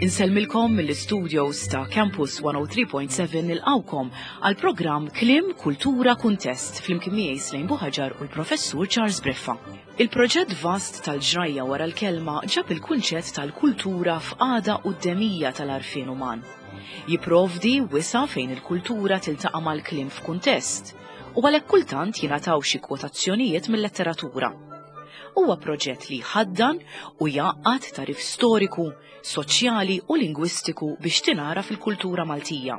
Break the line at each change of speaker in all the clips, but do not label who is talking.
Insellmilkom mill-istudios ta' Campus 103.7 nilqawkom għal programm Klim Kultura Kuntest flimkien miegħi Slejn Buħaġar u l-Professur Charles Briffa. Il-proġett vast tal-ġrajja wara l-kelma ġab il-kunċett tal-kultura f'qagħda quddemija tal-għarfien uman. Jipprovdi wisa' fejn il-kultura tiltaqa' mal-kliem f'kuntest u għalhekk kultant jingħataw xi kwotazzjonijiet mil-letteratura. Huwa proġett li jħaddan u jgħaqqad tagħrif storiku, soċjali u lingwistiku biex tingħaraf il-kultura Maltija.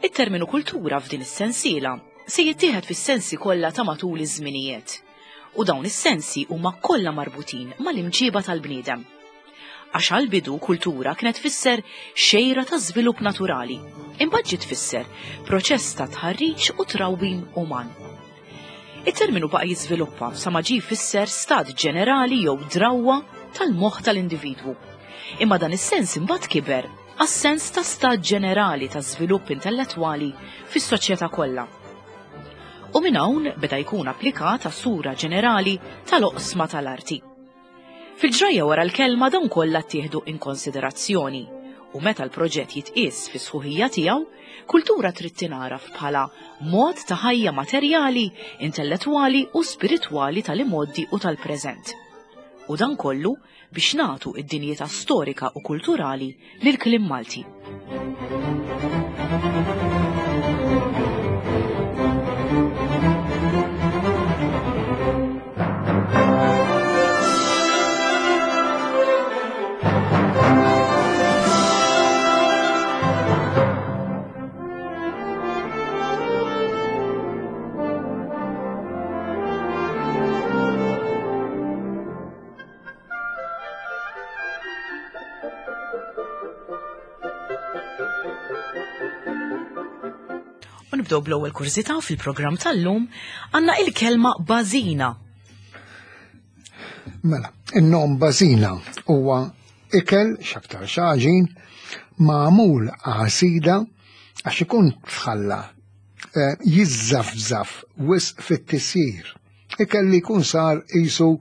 It-terminu kultura f'din is-sensiela se jittieħed fis-sensi kollha ta' matul iż-żminijiet u dawn is-sensi huma kollha marbutin mal-imġiba tal-bniedem. Għax għall-bidu kultura kienet tfisser xejra ta' żvilupp naturali, imbagħad ġiet tfisser proċess ta' tħarriġ u trawwim uman. It-terminu baqa' jiżviluppa sa ma ġie jfisser stat ġenerali jew drawwa tal-moħħ tal-individwu. Imma dan is-sens imbagħad kiber għas-sens ta' stat ġenerali ta' żvilupp intellettwali fis-soċjetà kollha. U minn hawn beda jkun applikat għas-sura ġenerali tal-oqsma tal-arti. Fil-ġrajja wara l-kelma dawn kollha ttieħdu in konsiderazzjoni u meta l-proġett jitqies fis-sħuħija tiegħu, kultura trid tingħaraf bħala mod ta' ħajja materjali, intellettwali u spiritwali tal-imgħoddi u tal-preżent. U dan kollu biex nagħtu id-dinjità storika u kulturali lill-kliem Malti. U nibdew bl-ewwel kurżità fil-programm tal-lum għandna il-kelma bażina.
Mela, in-nom bażina huwa ikel x'aktar xaġin magħmul għasida għax ikun tħalla eh, jiżżafżaf wisq fit-tisjir. Ikel li jkun sar qisu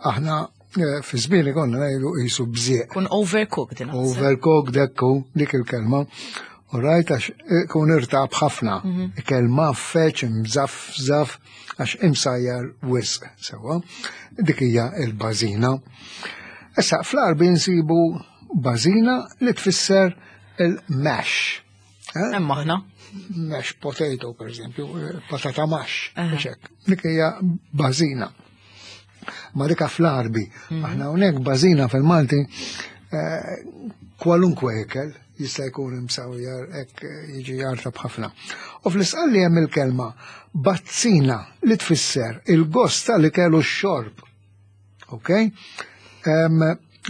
aħna eh, fi żmien konna ngħidu qisu bżieq.
Kun overcooked.
Overcooked ekku dik il-kelma. U rajt għax eh, kun irtab ħafna. Mhm. Ikel maffeċ, mżafżaf, għax imsajjar wisq sewa. Dik hija il-bażina. Issa fl-arbi nsibu bażina li tfisser il-mash.
Eh? Hemm aħna.
Mash potato, per eżempju, patata mash, ċek. Dik hija bażina. Ma dika fl-arbi. Mhm. Aħna hawnhekk bażina fil-Malti eh, kwalunkwe ikel jista' jkun imsawjar hekk jiġi jartab ħafna. U fl-isqalli hemm il-kelma bazzina li tfisser il-gost tal-ikel u x-xorb. Ok?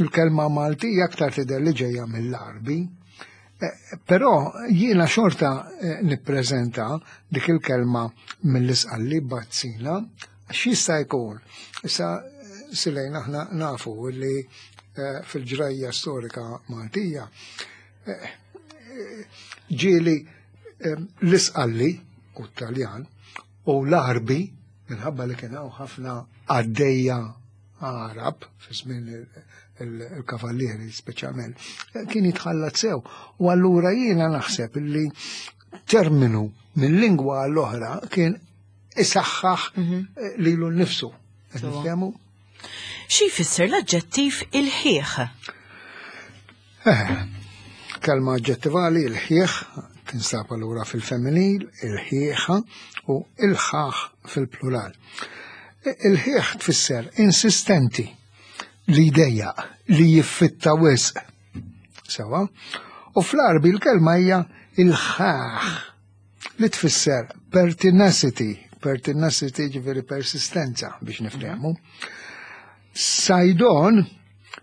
Il-kelma Maltija aktar tidher li ġejja mill-Arbi. Eh, però jiena xorta eh, nippreżenta dik il-kelma mill-isqalli bazzina għax jista' jkun. Issa silejn aħna nafu li eh, fil-ġrajja storika Maltija ġieli l-isqalli u t-Taljan u l-Arbi minħabba li kien hawn ħafna għaddejja Arab fi żmien il-kavallieri speċjalment, kien jitħallat sew. U allura jiena naħseb li terminu minn lingwa għall-oħra kien isaħħaħ mhm. eh, lilu nnifsu. Niftehmu?
Xi jfisser l-aġġettiv il-ħieħ?
Eh, kelma aġġettivali il-ħieħ tinsab allura fil-femminil, il-ħieħa u il-ħaħ fil-plural. Il-ħieħ tfisser insistenti li jdejjaq, li jiffitta wisq. Sewa? U fl-arbi l-kelma hija il-ħaħ li tfisser pertinacity, pertinacity ġifieri persistenza biex niftehmu. Sajdon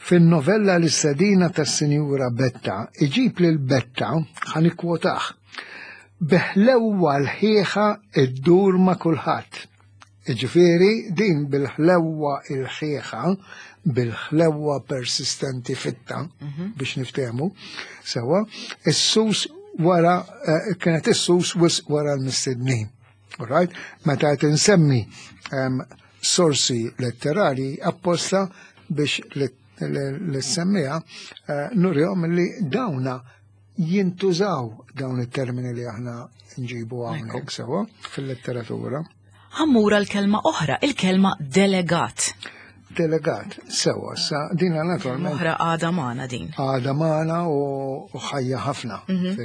fin-novella L-Istedina tas-Sinjura Betta iġib lil Betta, ħa nikkwotah, bi ħlewwa l-ħieħa ddur ma' kulħadd. Jiġifieri din bil-ħlewwa il-ħieħa, bil-ħlewwa persistenti fitta, mhm. biex niftehmu, sewwa, is-sus wara eh, kienet is-sus wisq wara l-mistednin. Right? Meta qed insemmi sorsi letterali apposta biex. l-semmija, eh, nurihom li dawna jintużaw dawn it-termini li aħna nġibu hawnhekk sewwa fil-letteratura.
Ħammura l-kelma oħra, il-kelma delegat.
Delegat, sewa, sa dina naturalment.
Oħra għada magħna din.
Għada magħna u ħajja ħafna mhm.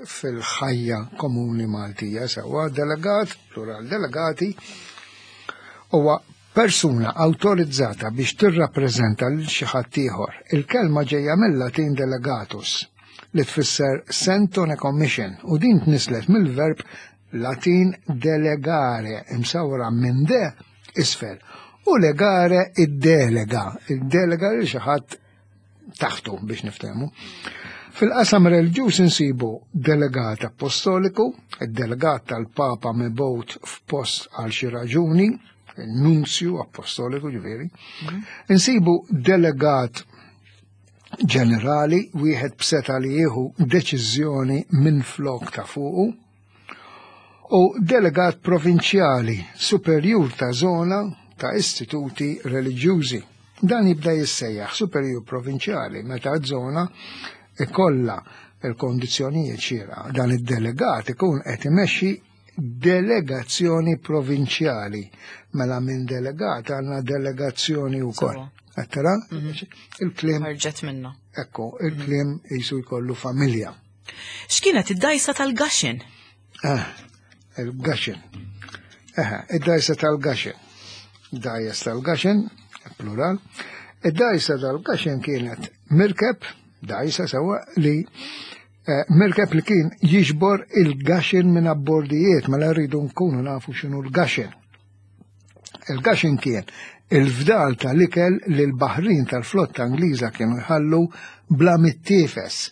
fil-ħajja komuni Maltija, sewa, delegat, plural delegati, huwa persuna awtorizzata biex tirrappreżenta lil xi ħadd ieħor. Il-kelma ġejja mill-Latin delegatus li tfisser sent on a commission u din tnislet mill-verb Latin delegare imsawra minn de isfel u legare id-delega, id-delega lil xi ħadd taħtu biex niftehmu. Fil-qasam reliġjuż insibu delegat apostoliku, id-delegat tal-Papa mibgħut f'post għal xi raġuni, nunzju apostoliku ġifieri. Mhm. Insibu delegat ġenerali, wieħed b'seta li jieħu deċiżjoni minn flok ta' fuqu, u delegat provinċjali superjur ta' zona ta' istituti reliġjużi. Dan jibda jissejjaħ superjur provinċjali meta żona ikollha il-kondizzjonijiet xierqa. Dan id-delegat ikun qed imexxi delegazzjoni provinċjali. Mela minn delegat għandna delegazzjoni wkoll. Għattara? Mhm. Il-klim.
Ħarġet minna.
Ekku, il-klim jisu jkollu familja.
X'kienet id-dajsa tal-gaxin?
Ah, il-gaxin. Eh, id-dajsa tal-gaxin. Dajs tal-gaxin, plural. Id-dajsa tal-gaxin kienet mirkeb, dajsa sewa li eh, mirkeb li kien jiġbor il-gaxin minn abbordijiet, mela rridu nkunu nafu x'inhu l-gaxin. Il-gaxin kien il-fdal tal-ikel li l-baħrin tal-flotta Ingliża kienu jħallu bla mittiefes.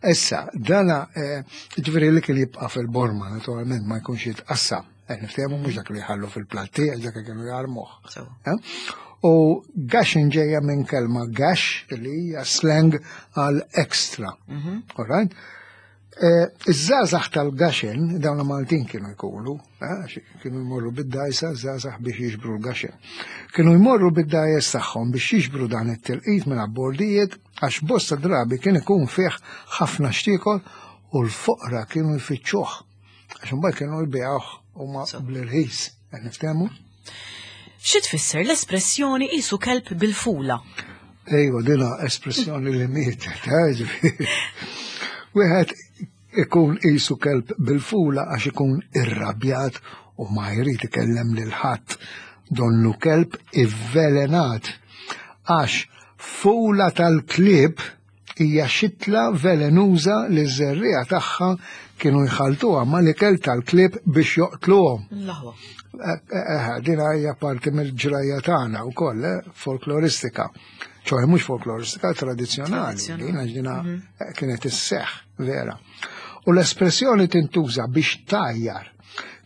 Issa, dana, eh, ġifieri l-ikel jibqa' fil-borma, naturalment ma jkunx jitqassam. Eh, niftehmu mhux dak li jħallu fil-platti, għax dak kienu jarmuh. Eh? U gaxin ġejja minn kelma gash li hija slang għal extra. Mhm. All right? Eh, iż-żgħażagħ tal-gaxen, dawn Maltin kienu jkunu, eh, kienu jmorru bid-dajsa żgħażagħ biex jiġbru l-gaxen. Kienu jmorru bid-dajes tagħhom biex jiġbru dan it-tilqit minn abbordijiet għax bosta drabi kien ikun fih ħafna xtiekol u l-foqra kienu jfittxuh. Għax imbagħad kienu jbigħuh huma bl-irħis, qed niftehmu?
Xi tfisser l-espressjoni qisu kelb bil-fula?
Ejwa, dina espressjoni li mietet, eh, ġifieri. Wieħed ikun qisu kelb bil-fula għax ikun irrabjat u ma jrid ikellem lil ħadd. Donnu kelb ivvelenat. Għax fula tal-klieb hija xitla velenuża li ż-żerriegħa tagħha kienu jħalltuha mal-ikel tal-klieb biex joqtluhom.
L-aħwa.
Eh, eh, eh, dina hija parti mill-ġrajja tagħna wkoll, folkloristika. ċoħe mhux folkloristika, tradizzjonali. Dina ġdina mhm. kienet isseħ, vera. U l-espressjoni tintuża biex tajjar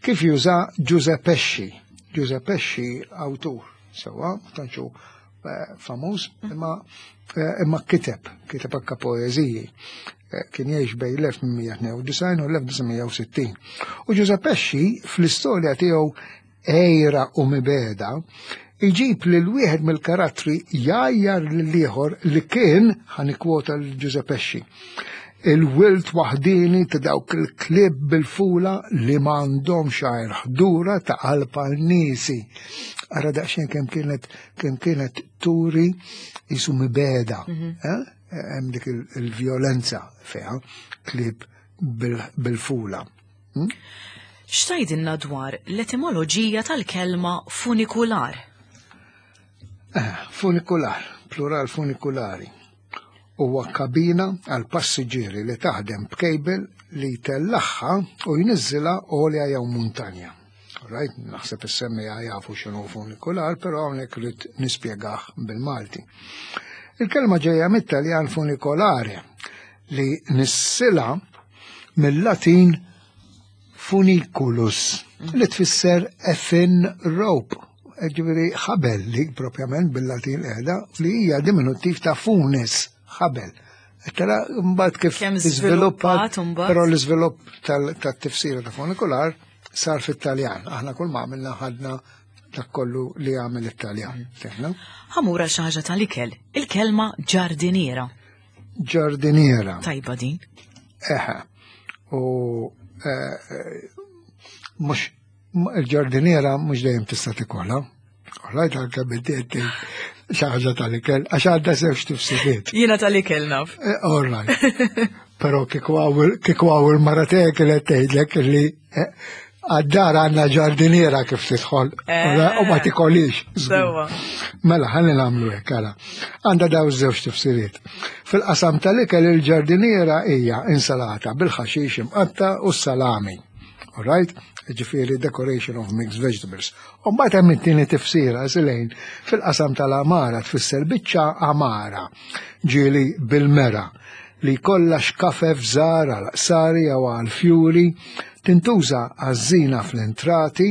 kif juża Giuseppe Pesci. Giuseppe Pesci awtur, sewa, tantxu Eh, famuż, imma eh, imma kiteb, kiteb anka poeżiji. Eh, kien jgħix bej l-1892 u l-1960. U Giuseppe Pesci fl-istorja tiegħu Ejra u Mibeda iġib lil wieħed mill-karattri jgħajjar lil ieħor li kien ħanikwota l Giuseppe Pesci il-wilt waħdini ta' dawk il-klib bil-fula li m'għandhomx għajr ħdura ta' qalb għal niesi. Ara daqsxejn kemm kienet kemm kienet turi jisu mibeda. Mhm. Eh? Hemm dik il-vjolenza fiha klib bil-fula.
Hm? X'tajdilna dwar l-etimoloġija tal-kelma funikular?
Eh, funikular, plural funikulari. Huwa kabina għal passiġġieri li taħdem b'kejbel li jtellagħha u jniżżilha għolja jew muntanja. Right, naħseb is-semmiegħa jafu x'inhu funikular, però hawnhekk rrid nispjegah bil-Malti. Il-kelma ġejja mit-Taljan funicolare li nissilha mill-Latin funiculus li tfisser a thin rope, ġifieri ħabel li propjament bil-Latin qiegħda li hija diminuttiv ta' funis, ħabel. Tara mbagħad kif
iżviluppat,
però l-iżvilupp tat-tifsira ta' funikular sar fit-Taljan. Aħna kull ma għamilna ħadna dak kollu li għamel it-Taljan. Fehmna?
Ħamura xi ħaġa tal-ikel, il-kelma ġardiniera.
Ġardiniera.
Tajba din.
Eħe. U eh, mhux il-ġardiniera mhux dejjem tista' tikolha. Alright, anke biddiet xi ħaġa tal-ikel, għax għandha żewġ tifsiriet.
Jiena tal-ikel naf.
Eh, alright. Però kieku għaw il-mara tiegħek kienet tgħidlek li eh, għad-dar għandna ġardiniera kif tidħol eh. u ma tikolix.
Sewwa.
Mela ħalli nagħmlu hekk ara. Għandha daw żewġ tifsiriet. Fil-qasam tal-ikel il-ġardiniera hija insalata bil-ħaxix imqatta u s-salami. Alright? Ġifieri decoration of mixed vegetables. U mbagħad hemm it-tieni tifsira silejn fil-qasam tal-amara tfisser biċċa amara ġieli bil-mera li jkollha xkafef żgħar għal qsari jew għal fjuri tintuża għaż-żina fl-entrati,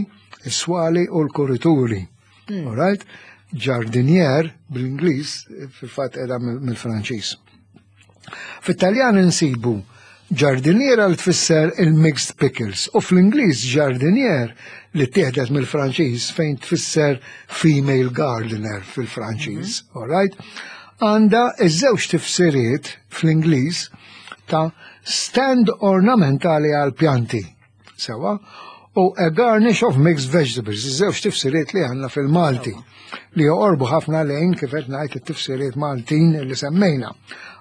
is-swali u l-kurituri. Hmm. Alright? Ġardinier bl-Ingliż fil-fatt qiegħda mill-Franċiż. Fit-Taljan insibu ġardiniera li tfisser il-mixed pickles u fl-Ingliż ġardinier li tieħdet mill-Franċiż fejn tfisser female gardener fil-Franċiż, mm -hmm. alright? Għanda iż-żewġ tifsiriet fl-Ingliż ta' stand ornamentali għal pjanti. Sewa, u a garnish of mixed vegetables, iż-żewġ tifsiriet li għandna fil-Malti, li joqorbu ħafna lejn kif qed ngħid it-tifsiriet Maltin li semmejna.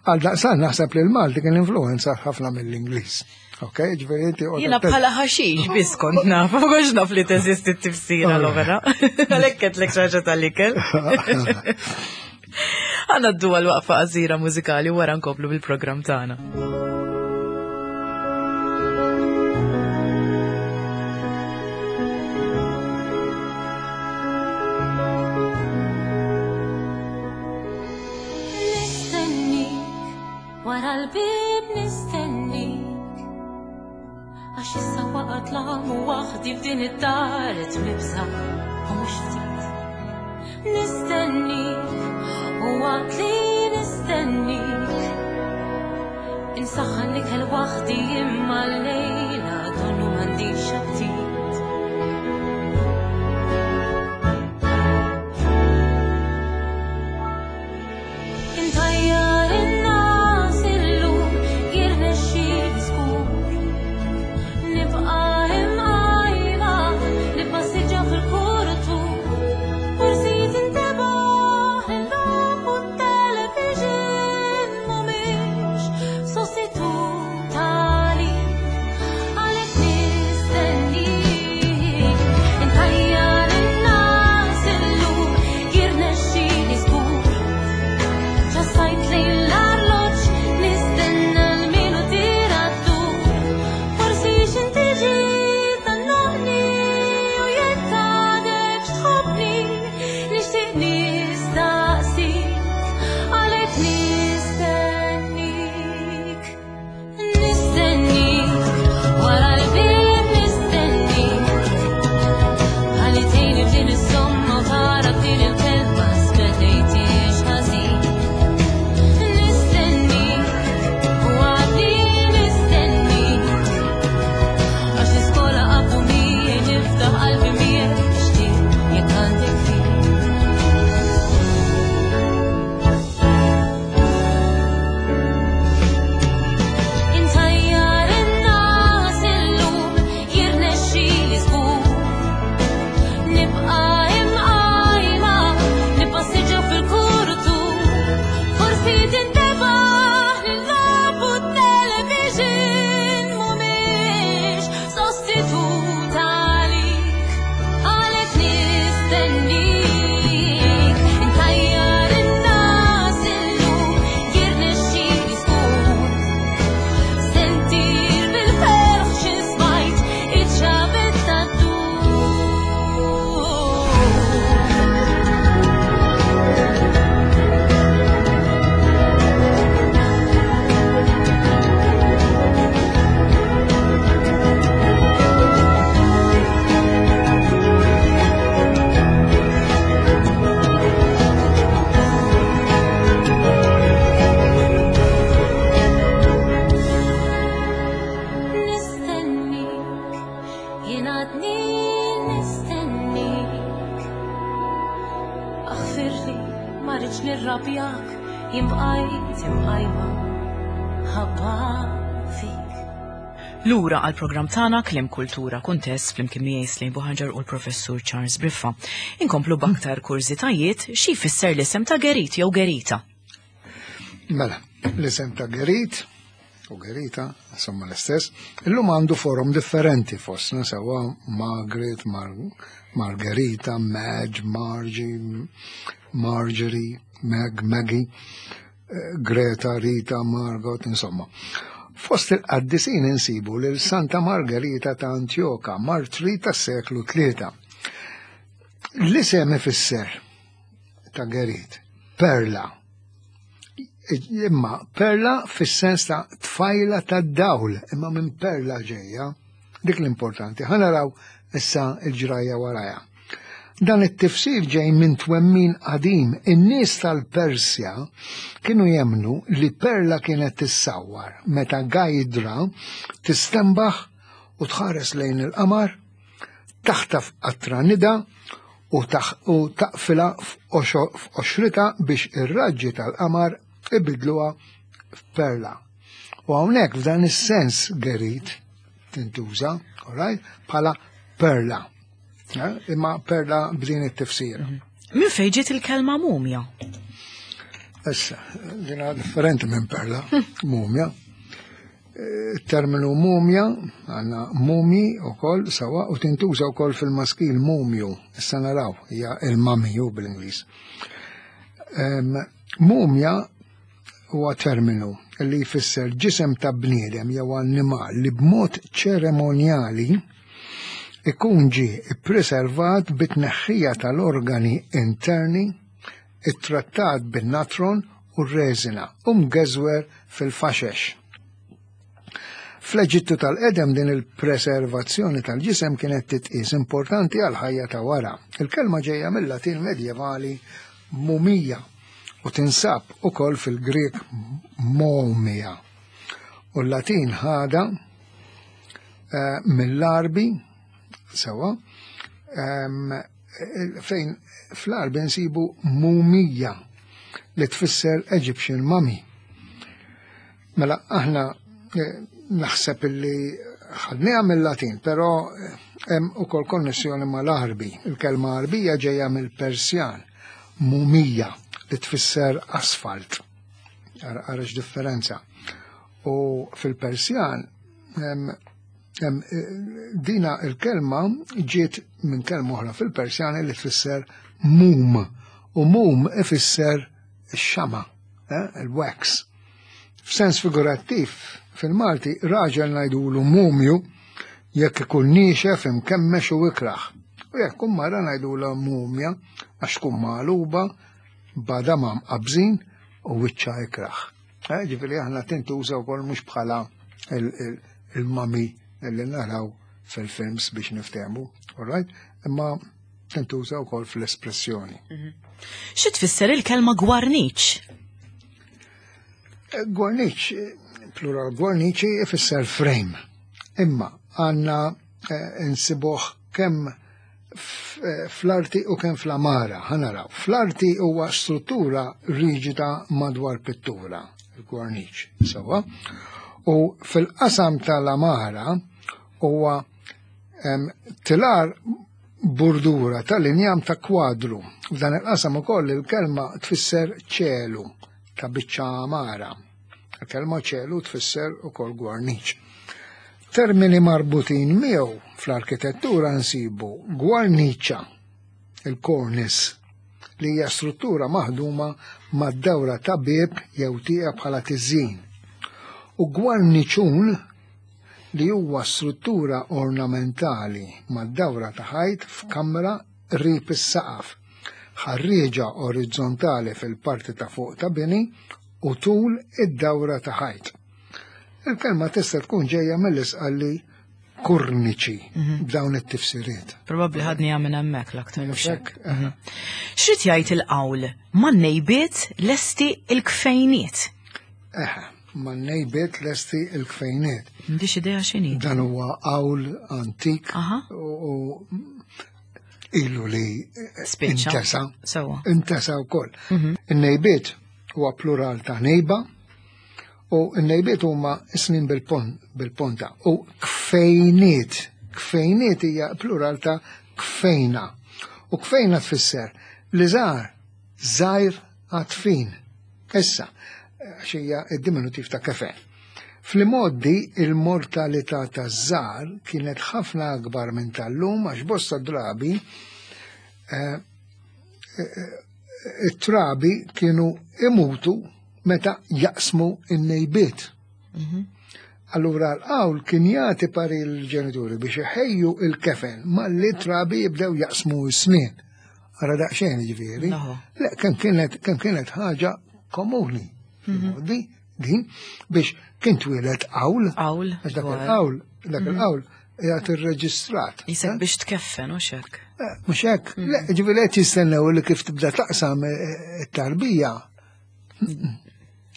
Għal daqsan naħseb li l-Malti kien influenza ħafna mill-Ingliż. Ok, ġifieri inti
Jiena bħala ħaxix biss kont naf, ma kontx naf li teżisti t-tifsira l-oħra. Għalhekk qedlek xi ħaġa tal-ikel. Għanna d għal waqfa qasira mużikali wara nkomplu bil-programm tagħna.
Nistennik, wara l-bib nistennik. Għax issa waqgħet l-għam u waħdi f'din id-dar qed nibża' u mhux ftit. Nistennik u waqt li nistennik. Insaħħan l-ikel waħdi imma llejla donnu m'għandix aptit. Intajjar in-nas illum jirnexxieli żgur. Nibqa' imqajma nippassiġġa fil-kuritur. Aħfirli, ma rridx nirrabjak, jien bqajt imqajma ħabba fik.
Lura għal programm tagħna Kliem Kultura Kuntest flimkien miegħi Slejn Buħaġar u l-Professur Charles Briffa. Inkomplu b'aktar kurżitajiet xi jfisser l-isem ta' Gerit jew Gerita.
Mela, l-isem ta' Gerit u Gerita, insomma l-istess, illum għandu forom differenti fostna sewa Margaret, Mar Margherita, Madge, Margie, Marjorie, Meg, Maggie, eh, Greta, Rita, Margot, insomma. Fost il-qaddisin insibu lil Santa Margherita ta' Antioka, martri tas seklu tlieta. L-isem ifisser ta' Gerit, perla. Imma perla fis-sens ta' tfajla ta' dawl, imma minn perla ġejja, dik l-importanti. Ħa naraw issa il-ġrajja waraja. Dan it-tifsir ġej minn twemmin qadim. In-nies tal-Persja kienu jemnu li perla kienet tissawwar meta gajdra tistembaħ u tħares lejn il-qamar, taħtaf qatra nida u taqfilha f'qoxritha biex ir-raġġi tal-qamar ibidluha f'perla. U hawnhekk f'dan is-sens Gerit tintuża, all right, bħala perla. Eh, imma perla b'din it-tifsira. Mhm.
Min fejn ġiet il-kelma mumja?
Issa, dina differenti minn perla, mumja. Terminu mumja, għanna mumi u koll sawa, u tintuża u koll fil-maskil mumju, issa naraw, hija il-mamiju bil-Inglis. Mumja huwa terminu li jfisser ġisem ta' bniedem jew annimal li b'mod ċeremonjali ikun ġie ippreservat bit-tneħħija tal-organi interni, ittrattat bin-natron u r-reżina u mgeżwer fil-faxex. Fl-Eġittu tal-qedem din il-preservazzjoni tal-ġisem kienet titqies importanti għall-ħajja ta' wara. Il-kelma ġejja mill-Latin medjevali mumija u tinsab ukoll fil-Grieg momia. U l-Latin ħada eh, mill-Arbi sewa ehm, fejn fl-Arbi nsibu mumija li tfisser Egyptian mummy. Mela aħna eh, naħseb illi ħadniha mill-Latin, però eh, hemm ukoll konnessjoni mal-Arbi. Il-kelma Arbija ġejja mill-Persjan, mumija li tfisser asfalt. Ara differenza. U fil-Persjan eh, dina il-kelma ġiet minn kelma oħra fil-Persjan li tfisser mum. U mum ifisser ix-xama, il-wax. F'sens figurattiv, fil-Malti raġel ngħidulu mumju jekk ikun niexef, imkemmex u ikrah. U jekk tkun mara ngħidulha mumja għax tkun magħluba, b'għadamha mqabbżin u wiċċha ikrah. Eh, ġifieri aħna tintuża wkoll mhux bħala il-mami li naraw fil-films biex niftehmu, all right? Imma tintuża wkoll fl-espressjoni. Mhm.
Xi tfisser il-kelma gwarniċ?
Eh, gwarniċ, eh, plural gwarniċi ifisser frame. Imma għanna eh, nsibuh kemm fl-arti u kemm fl-amara, ħanaraw. Fl-arti huwa struttura riġida madwar pittura, il-gwarniċ, sewa. U fil-qasam tal-amara huwa tilar burdura tal-injam ta' kwadru. F'dan il-qasam ukoll il-kelma tfisser ċelu ta' biċċa għamara. Il-kelma ċelu tfisser ukoll gwarniċ. Termini marbutin miegħu fl-arkitettura nsibu gwarniċa, il-cornice, li hija struttura maħduma mad-dawra ta' bieb jew tieqa bħala tiżjin. U gwarniċun li huwa struttura ornamentali mad-dawra ta' ħajt f'kamra qrib is-saqaf, ħarrieġa orizzontali fil-parti ta' fuq ta' bini u tul id-dawra ta' ħajt. Il-kelma tista' tkun ġejja mill-Isqalli kurniċi mhm. b'dawn it-tifsiriet.
Probabbli ħadni minn hemmhekk l-aktar. Mhm. Xrid jgħid il-qawl ma' nejbiet lesti il-kfejniet?
Eħe, ma' nejbiet lesti il-kfejniet.
M'għandix idea x'inhi.
Dan huwa qawl antik u ilu li intesa. Intesa wkoll. Mhm. In-nejbiet huwa plural ta' nejba u n-nejbiet huma snin bil-ponta u kfejniet. Kfejniet hija plural ta' kfejna. U kfejna tfisser li żgħar żgħir għatfin. Issa, għax hija d-diminutiv ta' kefen. Fl-imgħoddi il-mortalità taż-żgħar kienet ħafna akbar minn tal-lum għax bosta drabi eh, eh, it-trabi kienu imutu meta jaqsmu in-nejbiet. Mhm. Allura l-qawl kien jagħti pari l-ġenituri biex iħejju il-kefen malli trabi jibdew jaqsmu s-snien. Ara daqsxejn ġifieri. Le, kemm kienet kemm kienet ħaġa komuni. Mhm. Din biex kien twieled qawl.
Qawl.
Għax dak il-qawl, dak mhm. il-qawl jgħat irreġistrat.
Jisek eh? biex tkeffen, u xek.
Eh, mhux hekk. Mhm. Le, ġifieri qed jistennew li kif tibda taqsam eh, it-tarbija.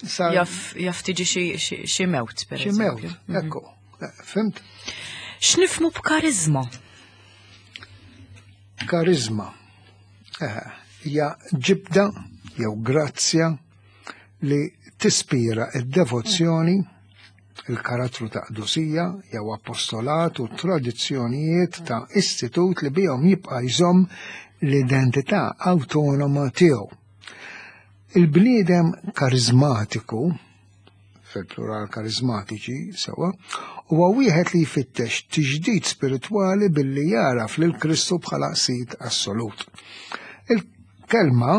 Jaf jaf tiġi xi mewt, per
Xi mewt, mhm. ekku. Fimt?
X'nifmu b'karizma?
Karizma. Hija ġibda jew grazzja li tispira id-devozzjoni, il-karattru ta' qdusija jew appostolat u tradizzjonijiet ta' istitut li bihom jibqa' jżomm l-identità awtonoma tiegħu. Il-bniedem karizmatiku, fil-plural karizmatiċi, sewa, huwa wieħed li jfittex tiġdid spiritwali billi jaraf lil Kristu bħala sid assolut. Il-kelma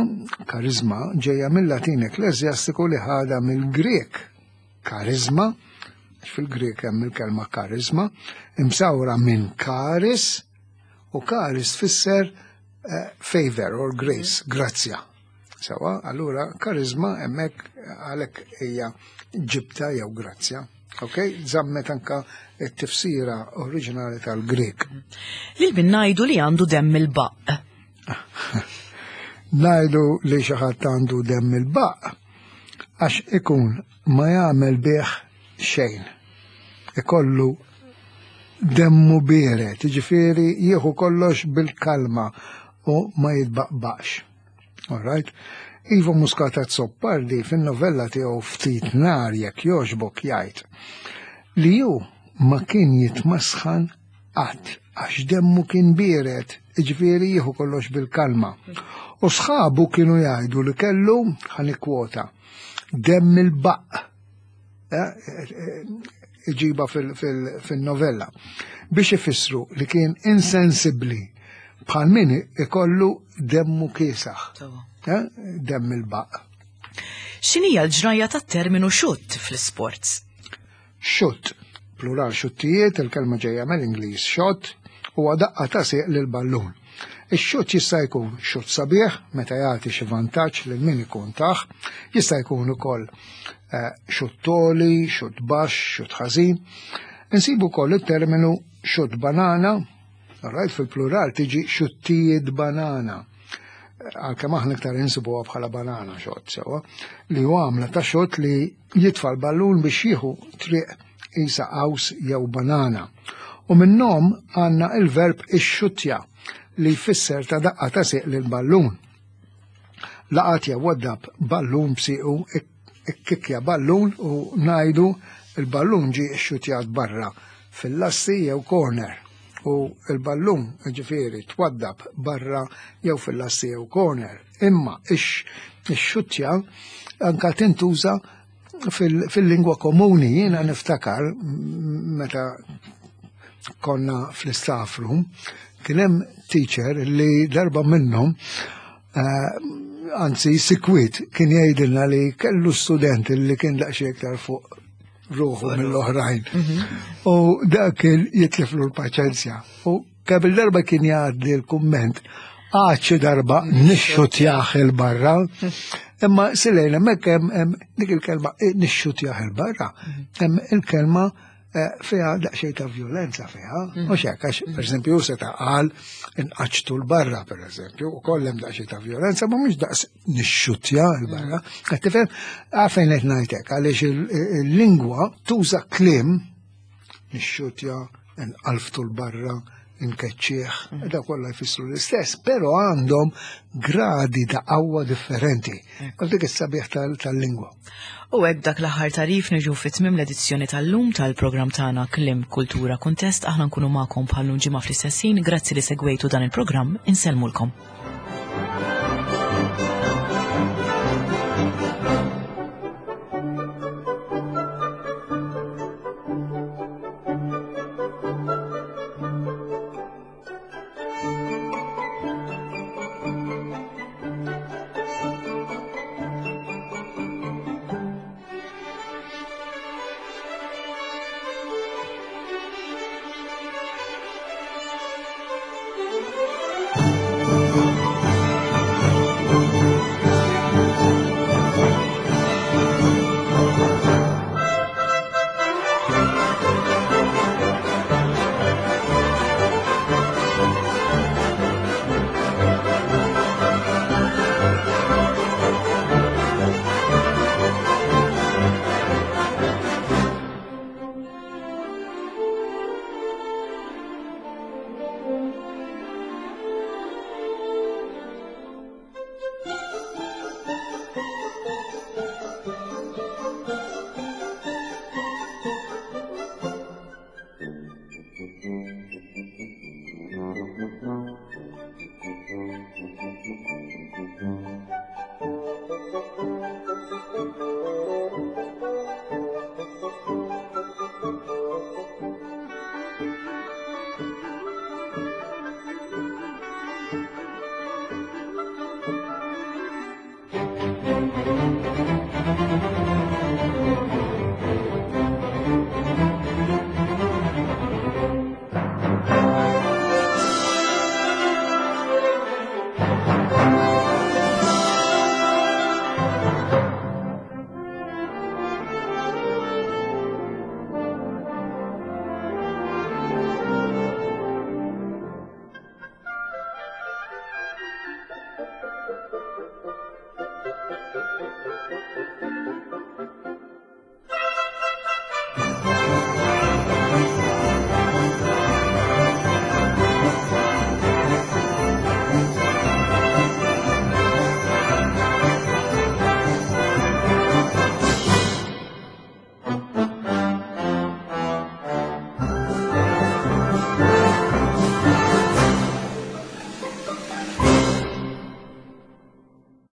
karizma ġejja mill-Latin ekklesjastiku li ħada mill-Grek karizma, fil-Grek hemm il-kelma karizma, imsawra minn karis, u karis tfisser eh, favor or grace, grazzja. Sewa, allura karizma hemmhekk għalhekk hija ġibta jew grazzja. Ok, zammet anka t-tifsira oriġinali tal-Grek.
Lil min ngħidu li għandu demm il-baqq.
Ngħidu li xi ħadd għandu demm il-baqq għax ikun ma jagħmel bih xejn. Ikollu demmu biered, jiġifieri jieħu kollox bil-kalma u ma jitbaqbaqx. All right? Ivo Muscat Azzopardi fin-novella tiegħu Ftit Nar jekk jogħġbok jgħid li hu ma kien jitmasħan qatt għax demmu kien biered, jiġifieri jieħu kollox bil-kalma. U sħabu kienu jgħidu li kellu, ħa nikkwota, demm il-baqq. Eh, eh, iġiba fil-novella biex ifissru li kien insensibbli bħal min ikollu demmu kiesaħ. Eh, demm il-baq.
X'inhija l-ġrajja tat-terminu xutt fl-isports?
Xutt, plural xuttijiet, il-kelma ġejja mill-Ingliż shot, huwa daqqa ta' sieq lil ballun. Ix-xutt jista' jkun xutt sabiħ meta jagħti xi vantaġġ lil min ikun tah, jista' jkun ukoll eh, xutt toli, xutt baxx, xutt ħażin. Insibu wkoll it-terminu xutt banana, right, fil-plural tiġi xuttijiet banana. Għalkemm aħna iktar insibuha bħala banana xott sewa, li huwa għamla ta' xott li jitfa' l-ballun biex jieħu triq isa qaws jew banana. U minnhom għandna il-verb ixxuttja li jfisser ta' daqqa ta' sieq lil ballun. Laqat jew waddab ballun b'siequ ikkikja ballun u ngħidu il-ballun ġie xxuttjat barra fil-lasti jew corner u il-ballun ġifieri twaddab barra jew fil-lasti jew corner. Imma ix-xuttja anka tintuża fil-lingwa komuni jiena niftakar meta konna fl-staff room kien hemm teacher li darba minnhom eh, anzi sikwit kien jgħidilna li kellu student li kien daqsxejn iktar fuq ruħu mill-oħrajn. Mhm. U dak kien jitliflu l-paċenzja. U kemm il-darba kien jgħaddi l-kumment għad xi darba nixxutjah il-barra. Imma silejna hemmhekk hemm dik il-kelma eh, nixxutjah il-barra. Mhm. Hemm il-kelma eh, fiha daqsxejn ta' violenza fiha, mhm. mhux hekk għax pereżempju seta' qal inqaċtu l-barra pereżempju, u kollem daqsxejn ta' violenza, ma mhux daqs nixxutja l-barra. Qed tifhem għalfejn qed ngħidlek għaliex il-lingwa tuża kliem nixxutja, nqalftu l-barra, Inkeċċieħ, da kollha jfissru l-istess, però għandhom gradi ta' qawwa differenti. U dik is-sabiħ tal-lingwa.
U hekk dak l-aħħar tarif niġu fi tmiem l-edizzjoni tal-lum tal-programm tagħna Kliem Kultura Kuntest aħna nkunu magħkom bħal ġimgħa fl-istess ħin. Grazzi li segwejtu dan il-programm, insellmulkom.